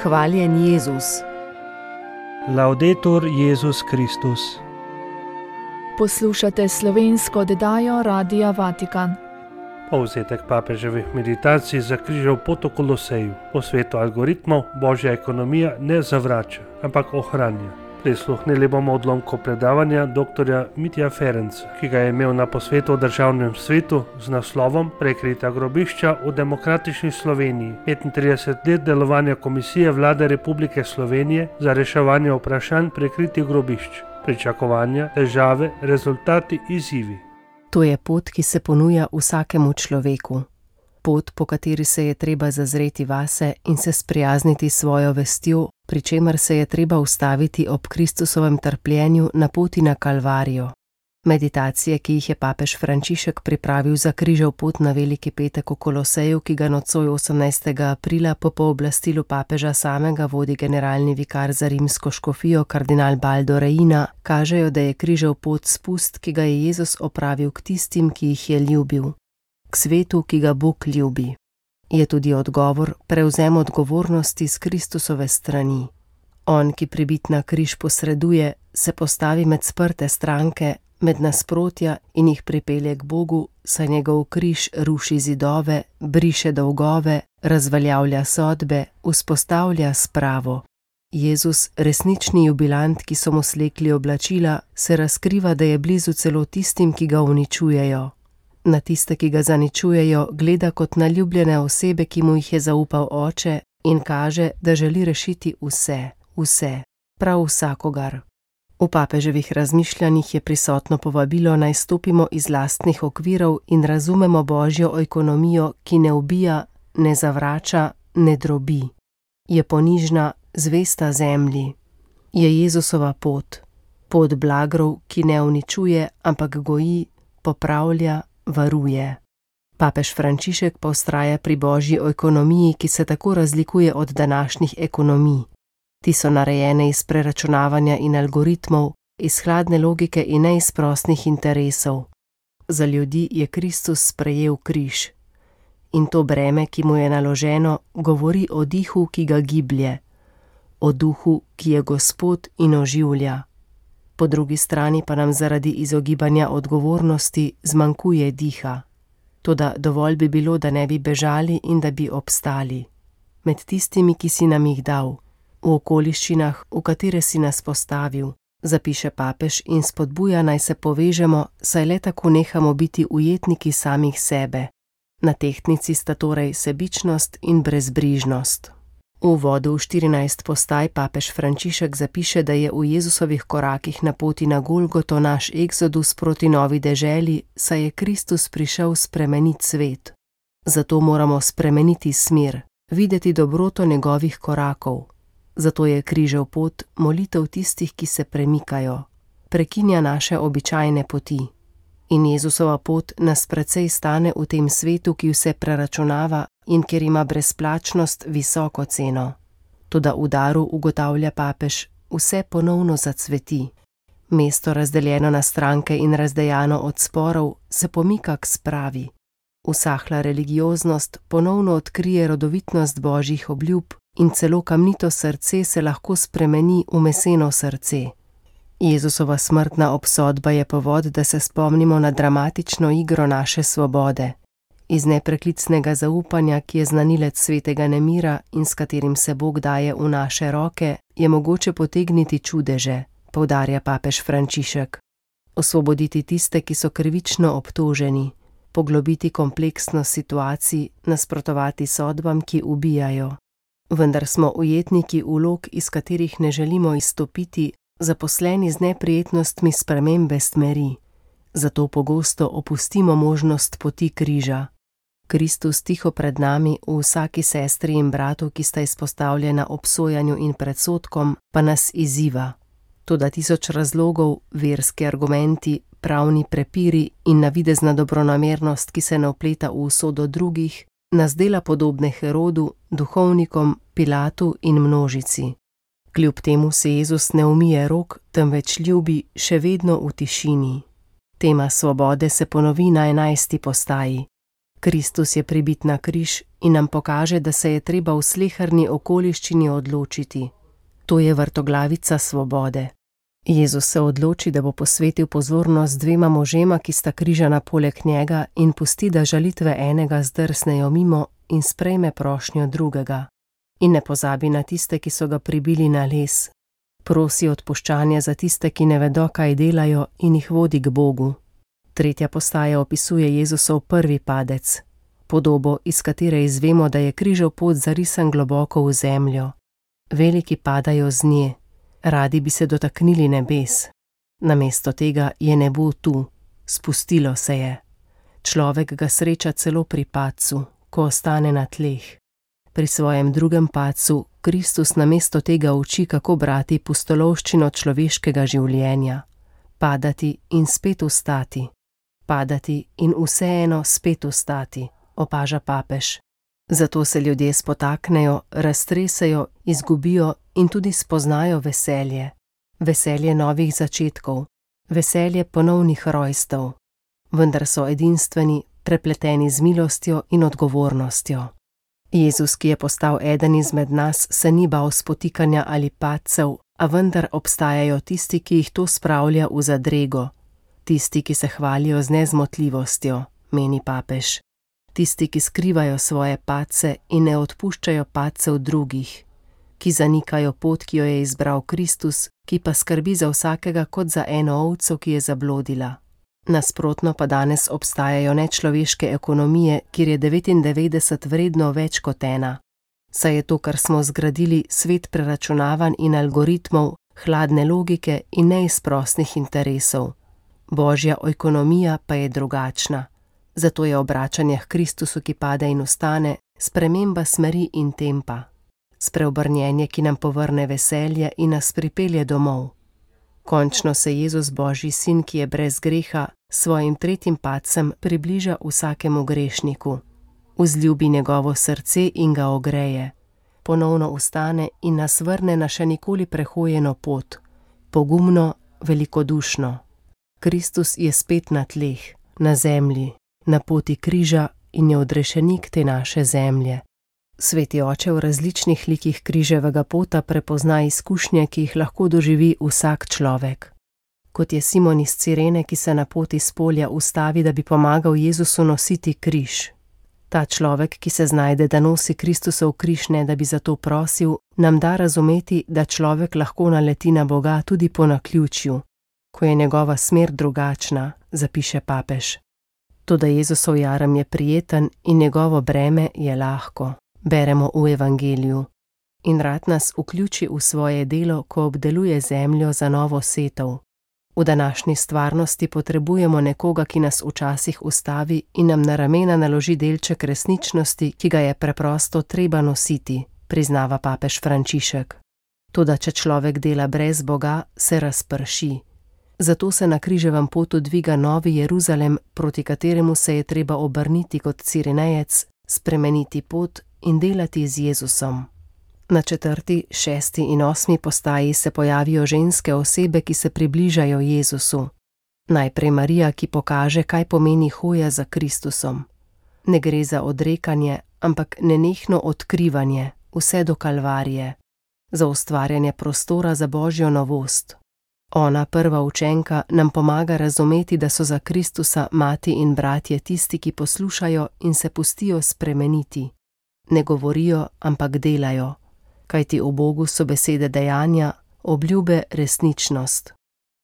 Hvaljen Jezus. Laudetur Jezus Kristus. Poslušate slovensko oddajo Radia Vatikan. Povzetek papeževih meditacij za križev pot v Koloseju. Po svetu algoritmov božja ekonomija ne zavrača, ampak ohranja. Prisluhnili bomo odlomku predavanja dr. Mitja Ferenca, ki ga je imel na posvetu o državnem svetu z naslovom Prekrita grobišča v demokratični Sloveniji. 35 let delovanja Komisije Vlade Republike Slovenije za reševanje vprašanj prekritih grobišč. Pričakovanja, težave, rezultati, izzivi. To je pot, ki se ponuja vsakemu človeku. Pot, po kateri se je treba zazreti vase in se sprijazniti s svojo vestjo, pri čemer se je treba ustaviti ob Kristusovem trpljenju na poti na Kalvarijo. Meditacije, ki jih je papež Frančišek pripravil za križev pot na Veliki petek v Koloseju, ki ga nocoj 18. aprila po pooblastilu papeža samega vodi generalni vikar za rimsko škofijo kardinal Baldo Reina, kažejo, da je križev pot spust, ki ga je Jezus opravil k tistim, ki jih je ljubil. K svetu, ki ga Bog ljubi. Je tudi odgovor, prevzem odgovornosti s Kristusove strani. On, ki pribit na križ posreduje, se postavi med sprte stranke, med nasprotja in jih pripelje k Bogu, saj njegov križ ruši zidove, briše dolgove, razveljavlja sodbe, vzpostavlja spravo. Jezus, resnični jubilant, ki so mu slekli oblačila, se razkriva, da je blizu celo tistim, ki ga uničujejo. Na tiste, ki ga zaničujejo, gleda kot na ljubljene osebe, ki mu jih je zaupal Oče, in kaže, da želi rešiti vse, prav vsakogar. V papeževih razmišljanjih je prisotno povabilo, naj stopimo iz lastnih okvirov in razumemo božjo ekonomijo, ki ne ubija, ne zavrača, ne drobi. Je ponižna, zvesta zemlji. Je Jezusova pot. Pot blagrov, ki ne uničuje, ampak goji, popravlja, varuje. Papež Frančišek pa vztraja pri božji ekonomiji, ki se tako razlikuje od današnjih ekonomij. Ti so narejene iz preračunavanja in algoritmov, iz hladne logike in ne iz prostih interesov. Za ljudi je Kristus sprejel križ. In to breme, ki mu je naloženo, govori o dihu, ki ga giblje, o duhu, ki je Gospod in oživlja. Po drugi strani pa nam zaradi izogibanja odgovornosti zmanjkuje diha. Toda dovolj bi bilo, da ne bi bežali in da bi obstali. Med tistimi, ki si nam jih dal, v okoliščinah, v katere si nas postavil, zapiše papež in spodbuja, naj se povežemo, saj le tako nehamo biti ujetniki samih sebe. Na tehtnici sta torej sebičnost in brezbrižnost. V uvodu v 14 postaj papež Frančišek zapiše, da je v Jezusovih korakih na poti na Golgoto naš eksodus proti novi deželi, saj je Kristus prišel spremeniti svet. Zato moramo spremeniti smer, videti dobroto njegovih korakov. Zato je križev pot molitev tistih, ki se premikajo, prekinja naše običajne poti. In Jezusova pot nas precej stane v tem svetu, ki vse preračunava in kjer ima brezplačnost visoko ceno. Toda v daru, ugotavlja papež, vse ponovno zacveti. Mesto, razdeljeno na stranke in razdejano od sporov, se pomika k spravi. Usahla religioznost ponovno odkrije rodovitnost božjih obljub in celo kamnito srce se lahko spremeni v meseno srce. Jezusova smrtna obsodba je povod, da se spomnimo na dramatično igro naše svobode. Iz nepreklicnega zaupanja, ki je znanilec svetega nemira in s katerim se Bog daje v naše roke, je mogoče potegniti čudeže, poudarja papež Frančišek. Osvoboditi tiste, ki so krivično obtoženi, poglobiti kompleksnost situacij, nasprotovati sodbam, ki ubijajo. Vendar smo ujetniki vlog, iz katerih ne želimo izstopiti, zaposleni z neprijetnostmi spremembe smeri. Zato pogosto opustimo možnost poti križa. Kristus tiho pred nami, v vsaki sestri in bratu, ki sta izpostavljena obsojanju in predsodkom, pa nas izziva. Toda tisoč razlogov, verski argumenti, pravni prepiri in navidezna dobronamernost, ki se ne vpleta v usodo drugih, nas dela podobne Herodu, duhovnikom, Pilatu in množici. Kljub temu se Jezus ne umije rok, temveč ljubi še vedno v tišini. Tema svobode se ponovi na 11. postaji. Kristus je pribit na križ in nam pokaže, da se je treba v sleherni okoliščini odločiti. To je vrtoglavica svobode. Jezus se odloči, da bo posvetil pozornost dvema možema, ki sta križana poleg njega, in pusti, da žalitve enega zdrsnejo mimo in sprejme prošnjo drugega. In ne pozabi na tiste, ki so ga pribili na les. Prosi odpuščanje za tiste, ki ne vedo, kaj delajo, in jih vodi k Bogu. Tretja postaja opisuje Jezusov prvi padec, podobo, iz katere izvemo, da je križev pot zarisan globoko v zemljo. Veliki padajo z nje, radi bi se dotaknili nebes. Namesto tega je nebo tu, spustilo se je. Človek ga sreča celo pri padcu, ko ostane na tleh. Pri svojem drugem padcu Kristus namesto tega uči, kako brati pustolovščino človeškega življenja. Padati in spet vstati. Padati in vseeno spet vstati, opaža papež. Zato se ljudje spotaknejo, raztresejo, izgubijo in tudi spoznajo veselje. Veselje novih začetkov, veselje ponovnih rojstev. Vendar so edinstveni, prepleteni z milostjo in odgovornostjo. Jezus, ki je postal eden izmed nas, se ni bal spotikanja ali padcev, a vendar obstajajo tisti, ki jih to spravlja v zadrego. Tisti, ki se hvalijo z nezmotljivostjo, meni papež. Tisti, ki skrivajo svoje padce in ne odpuščajo padcev drugih. Ki zanikajo pot, ki jo je izbral Kristus, ki pa skrbi za vsakega kot za eno ovco, ki je zablodila. Nasprotno pa danes obstajajo nečloveške ekonomije, kjer je 99 vredno več kot ena. Saj je to, kar smo zgradili, svet preračunavanj in algoritmov, hladne logike in neizprosnih interesov. Božja ekonomija pa je drugačna. Zato je obračanje k Kristusu, ki pade in vstane, sprememba smeri in tempa. Spreobrnjenje, ki nam povrne veselje in nas pripelje domov. Končno se Jezus, Božji sin, ki je brez greha, svojim tretjim padcem približa vsakemu grešniku. Vzljubi njegovo srce in ga ogreje. Ponovno vstane in nas vrne na še nikoli prehojeno pot. Pogumno, velikodušno. Kristus je spet na tleh, na zemlji, na poti križa in je odrešenik te naše zemlje. Sveti oče v različnih likih križevega pota prepozna izkušnje, ki jih lahko doživi vsak človek. Kot je Simon iz Cirene, ki se na poti s polja ustavi, da bi pomagal Jezusu nositi križ. Ta človek, ki se znajde, da nosi Kristusov križ, ne da bi za to prosil, nam da razumeti, da človek lahko naleti na Boga tudi po naključju, ko je njegova smer drugačna, zapiše papež. Toda Jezusov jarem je prijeten in njegovo breme je lahko. Beremo v Evangeliju. In rad nas vključi v svoje delo, ko obdeluje zemljo za novo setev. V današnji stvarnosti potrebujemo nekoga, ki nas včasih ustavi in nam na ramena naloži delček resničnosti, ki ga je preprosto treba nositi, priznava papež Frančišek. Toda če človek dela brez Boga, se razprši. Zato se na križevem potu dviga Novi Jeruzalem, proti kateremu se je treba obrniti kot Cirenejec, spremeniti pot in delati z Jezusom. Na 4., 6. in 8. postaji se pojavijo ženske osebe, ki se približajo Jezusu. Najprej Marija, ki pokaže, kaj pomeni hoja za Kristusom. Ne gre za odrekanje, ampak nenehno odkrivanje, vse do Kalvarije. Za ustvarjanje prostora za Božjo novost. Ona, prva učenka, nam pomaga razumeti, da so za Kristusa mati in bratje tisti, ki poslušajo in se pustijo spremeniti. Ne govorijo, ampak delajo, kajti v Bogu so besede dejanja, obljube resničnost.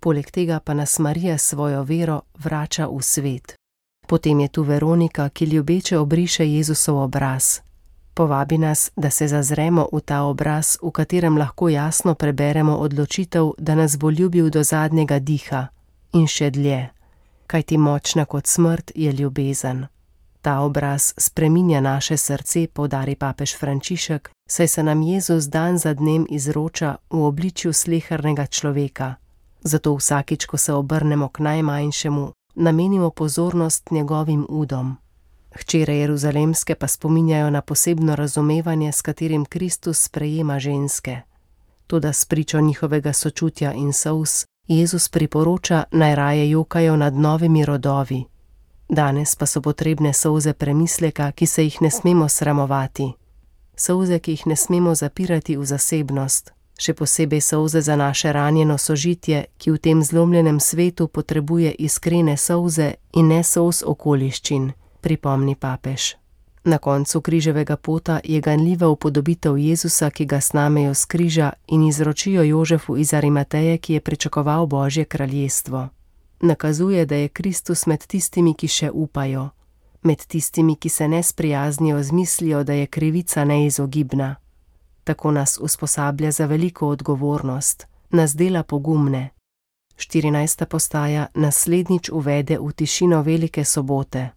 Poleg tega pa nas Marija svojo vero vrača v svet. Potem je tu Veronika, ki ljubeče obriše Jezusov obraz. Povabi nas, da se zazremo v ta obraz, v katerem lahko jasno preberemo odločitev, da nas bo ljubil do zadnjega diha in še dlje, kajti močna kot smrt je ljubezen. Ta obraz spreminja naše srce, poudari papež Frančišek, saj se nam Jezus dan za dnem izroča v obličju slehernega človeka. Zato vsakič, ko se obrnemo k najmanjšemu, namenimo pozornost njegovim udom. Hčere Jeruzalemske pa spominjajo na posebno razumevanje, s katerim Kristus sprejema ženske. Toda spričo njihovega sočutja in solz, Jezus priporoča, naj raje jokajo nad novimi rodovi. Danes pa so potrebne solze premisleka, ki se jih ne smemo sramovati. Solze, ki jih ne smemo zapirati v zasebnost, še posebej solze za naše ranjeno sožitje, ki v tem zlomljenem svetu potrebuje iskrene solze in ne solz okoliščin, pripomni papež. Na koncu križevega pota je ganljiva upodobitev Jezusa, ki ga snamejo s križa in izročijo Jožefu iz Arimateje, ki je pričakoval Božje kraljestvo. Nakazuje, da je Kristus med tistimi, ki še upajo, med tistimi, ki se ne sprijaznijo z mislijo, da je krivica neizogibna. Tako nas usposablja za veliko odgovornost, nas dela pogumne. 14. postaja naslednjič uvede v tišino Velike sobote.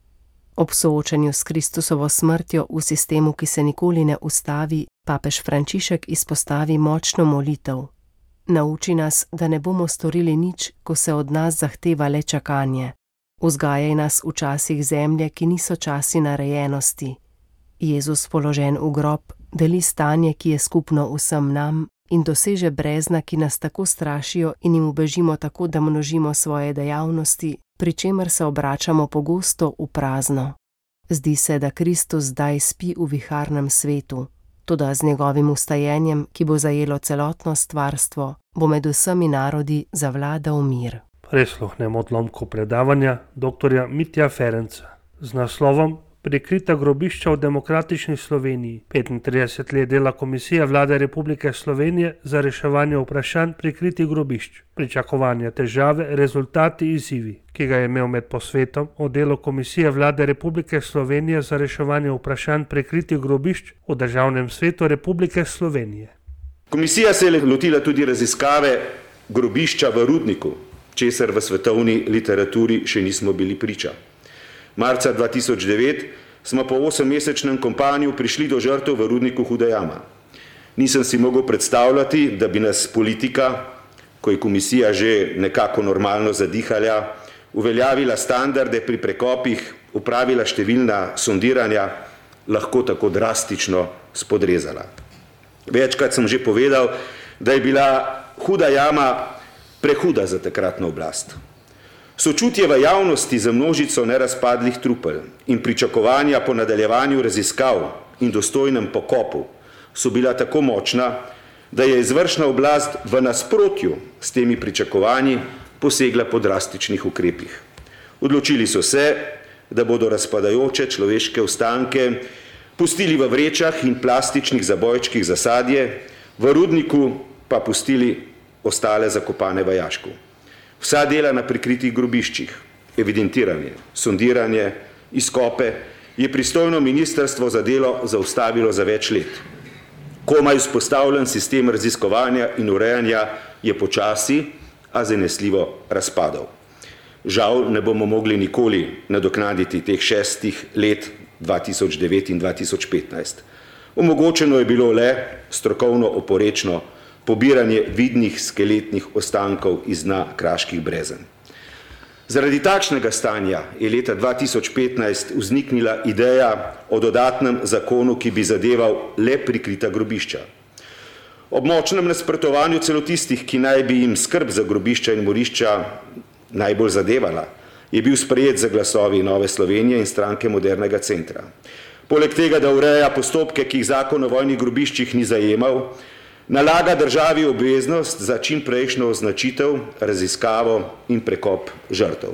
Ob soočanju s Kristusovo smrtjo v sistemu, ki se nikoli ne ustavi, papež Frančišek izpostavi močno molitev. Nauči nas, da ne bomo storili nič, ko se od nas zahteva le čakanje. Vzgajaj nas v časih zemlje, ki niso časi narejenosti. Jezus položen v grob deli stanje, ki je skupno vsem nam, in doseže brezna, ki nas tako strašijo in jim ubežimo tako, da množimo svoje dejavnosti, pri čemer se obračamo pogosto v prazno. Zdi se, da Kristus zdaj spi v viharnem svetu, toda z njegovim vstajenjem, ki bo zajelo celotno stvarstvo, bo med vsemi narodi zavladal mir. Prisluhnemo odlomku predavanja dr. Mitja Ferenca z naslovom Prikrita grobišča v demokratični Sloveniji. 35 let dela Komisija Vlade Republike Slovenije za reševanje vprašanj prikritih grobišč. Pričakovanja, težave, rezultati, izzivi, ki ga je imel med posvetom o delu Komisije Vlade Republike Slovenije za reševanje vprašanj prikritih grobišč v Državnem svetu Republike Slovenije. Komisija se je lotila tudi raziskave grobišča v Rudniku, česar v svetovni literaturi še nismo bili priča. Marca 2009 smo po 8-mesečnem kompanju prišli do žrtev v Rudniku Huda jama. Nisem si mogel predstavljati, da bi nas politika, ko je komisija že nekako normalno zadihala, uveljavila standarde pri prekopih, upravila številna sondiranja, lahko tako drastično spodrezala. Večkrat sem že povedal, da je bila Huda jama prehuda za takratno oblast. Sočutje v javnosti za množico nerazpadlih trupel in pričakovanja po nadaljevanju raziskav in dostojnem pokopu so bila tako močna, da je izvršna oblast v nasprotju s temi pričakovanji posegla po drastičnih ukrepih. Odločili so se, da bodo razpadajoče človeške ostanke pustili v vrečah in plastičnih zabojčkih za sadje, v Rudniku pa pustili ostale zakopane v jašku. Vsa dela na prikritih grobiščih, evidentiranje, sondiranje, izkope, je pristojno ministrstvo za delo zaustavilo za več let. Komaj vzpostavljen sistem raziskovanja in urejanja je počasi, a zanesljivo razpadal. Žal ne bomo mogli nikoli nadoknaditi teh 6 let 2009 in 2015. Omogočeno je bilo le strokovno oporečno pobiranje vidnih skeletnih ostankov iz dna kraških brezen. Zaradi takšnega stanja je leta 2015 vzniknila ideja o dodatnem zakonu, ki bi zadeval le prikrita grobišča. Ob močnem nasprotovanju celo tistih, ki naj bi jim skrb za grobišča in morišča najbolj zadevala, je bil sprejet za glasovi Nove Slovenije in Stranke modernega centra. Poleg tega, da ureja postopke, ki jih zakon o vojnih grobiščih ni zajemal, nalaga državi obveznost za čim prejšnjo označitev, raziskavo in prekop žrtev.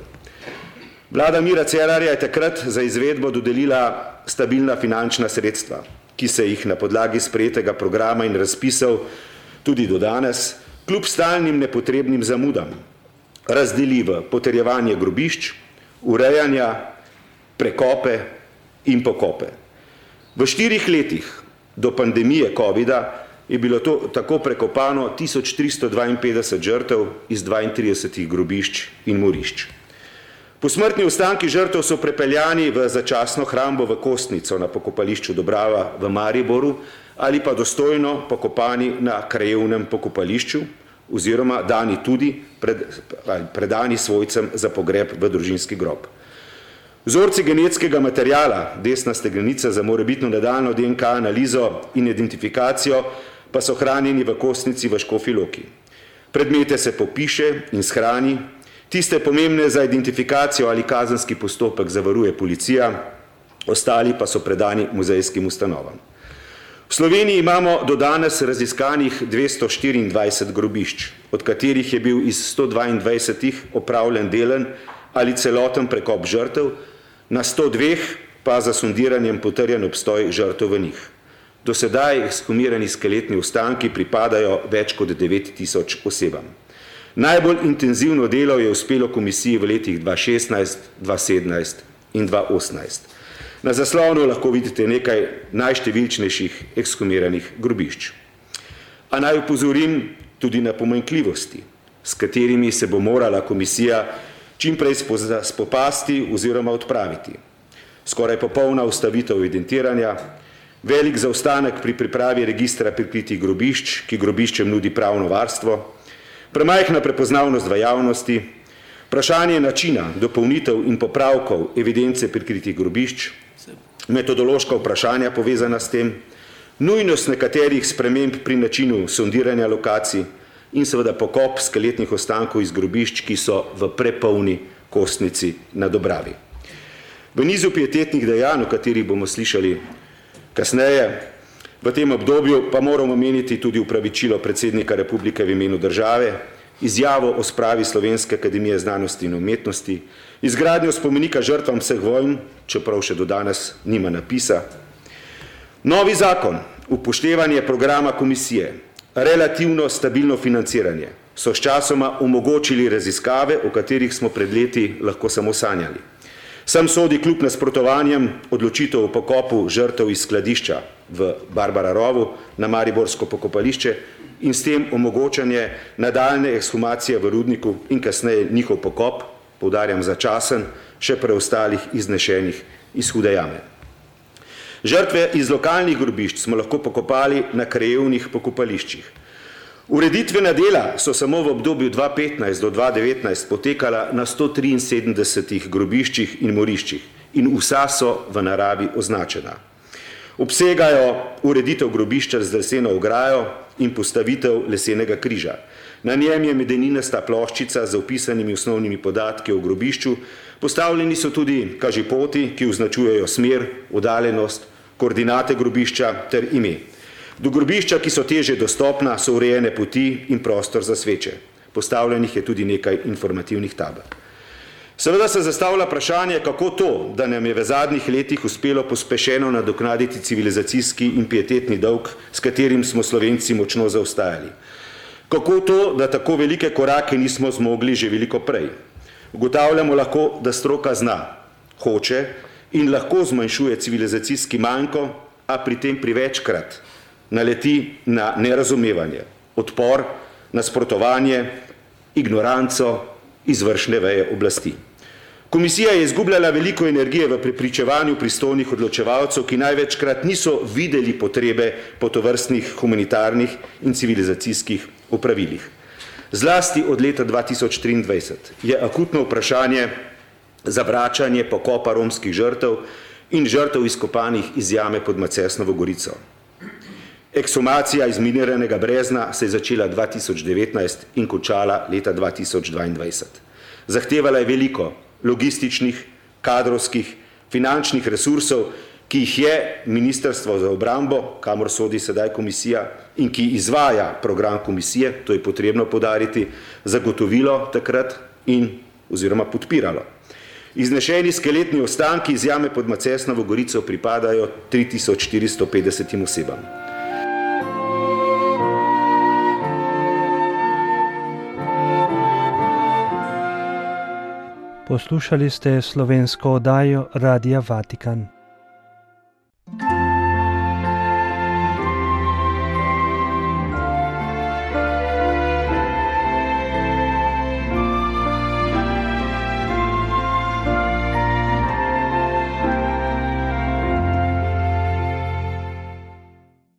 Vlada Mira Cerarja je takrat za izvedbo dodelila stabilna finančna sredstva, ki se jih na podlagi sprejetega programa in razpisov tudi do danes, kljub stalnim nepotrebnim zamudam, razdeli v potrjevanje grobišč, urejanja, prekope in pokope. V 4 letih do pandemije covida je bilo to tako prekopano 1352 žrtev iz 32 grobišč in morišč. Posmrtni ostanki žrtev so prepeljani v začasno hrambo v Kostnico na pokopališču Dobrava v Mariboru ali pa dostojno pokopani na krajevnem pokopališču oziroma dani tudi predani svojcem za pogreb v družinski grob. Vzorci genetskega materijala, desna stegrenica za morebitno nadaljnjo DNK analizo in identifikacijo, pa so hranjeni v Kostnici v Škofji Loki. Predmete se popiše in shrani, Tiste pomembne za identifikacijo ali kazenski postopek zavaruje policija, ostali pa so predani muzejskim ustanovam. V Sloveniji imamo do danes raziskanih 224 grobišč, od katerih je bil iz 122 opravljen delen ali celoten prekop žrtev, na 102 pa za sondiranjem potrjen obstoj žrtev v njih. Do sedaj ekshumirani skeletni ostanki pripadajo več kot 9000 osebam. Najbolj intenzivno delo je uspelo komisiji v letih 2016, 2017 in 2018. Na zaslonu lahko vidite nekaj najštevilčnejših ekshumiranih grobišč. A naj upozorim tudi na pomanjkljivosti, s katerimi se bo morala komisija čimprej spopasti oziroma odpraviti. Skoraj popolna ustavitev evidentiranja, velik zaostanek pri pripravi registra prikritih grobišč, ki grobiščem nudi pravno varstvo, premajhna prepoznavnost v javnosti, vprašanje načina dopolnitev in popravkov evidence prikritih grobišč, metodološka vprašanja povezana s tem, nujnost nekaterih sprememb pri načinu sondiranja lokacij in seveda pokop skeletnih ostankov iz grobišč, ki so v prepolni kostnici na Dobravi. V nizu pietetnih dejanj, o katerih bomo slišali kasneje, v tem obdobju pa moramo omeniti tudi upravičilo predsednika Republike v imenu države, izjavo o spravi Slovenske akademije znanosti in umetnosti, izgradnjo spomenika žrtvam vseh vojn, čeprav še do danes nima napisa. Novi zakon, upoštevanje programa komisije, relativno stabilno financiranje so sčasoma omogočili raziskave, o katerih smo pred leti lahko samo sanjali. Sem sodi kljub nasprotovanjem odločitev o pokopu žrtev iz skladišča v Barbara rovu na mariborsko pokopališče in s tem omogočanje nadaljne ekshumacije v rudniku in kasneje njihov pokop, poudarjam začasen, še preostalih iznešenih iz Hude jame. Žrtve iz lokalnih grobišč smo lahko pokopali na krajevnih pokopališčih. Ureditvena dela so samo v obdobju 2015 do 2019 potekala na 173 grobiščih in moriščih in vsa so v naravi označena. Obsegajo ureditev grobišča z leseno ograjo in postavitev lesenega križa. Na njem je medeninasta ploščica z opisanimi osnovnimi podatki o grobišču, postavljeni so tudi kažipoti, ki označujejo smer, oddaljenost, koordinate grobišča ter ime. Do grobišča, ki so težje dostopna, so urejene poti in prostor za sveče. Postavljenih je tudi nekaj informativnih tabel. Seveda se zastavlja vprašanje, kako to, da nam je v zadnjih letih uspelo pospešeno nadoknaditi civilizacijski in pietetni dolg, s katerim smo Slovenci močno zaostajali. Kako to, da tako velike korake nismo zmogli že veliko prej. Ugotavljamo lahko, da stroka zna, hoče in lahko zmanjšuje civilizacijski manjko, a pri tem privečkrat naleti na nerazumevanje, odpor, nasprotovanje, ignoranco izvršne veje oblasti. Komisija je izgubljala veliko energije v prepričevanju pristojnih odločevalcev, ki največkrat niso videli potrebe po tovrstnih humanitarnih in civilizacijskih opravilih. Zlasti od leta 2023 je akutno vprašanje zavračanje pokopa romskih žrtev in žrtev izkopanih iz jame pod Macesnovo Gorico. Ekshumacija izminiranega brezna se je začela 2019 in končala leta 2022. Zahtevala je veliko logističnih, kadrovskih, finančnih resursov, ki jih je Ministrstvo za obrambo, kamor sodi sedaj komisija, in ki izvaja program komisije, to je potrebno poudariti, zagotovilo takrat in oziroma podpiralo. Iznešeni skeletni ostanki iz jame pod Macesnovo Gorico pripadajo 3450 osebam. Poslušali ste slovensko oddajo Radia Vatikan.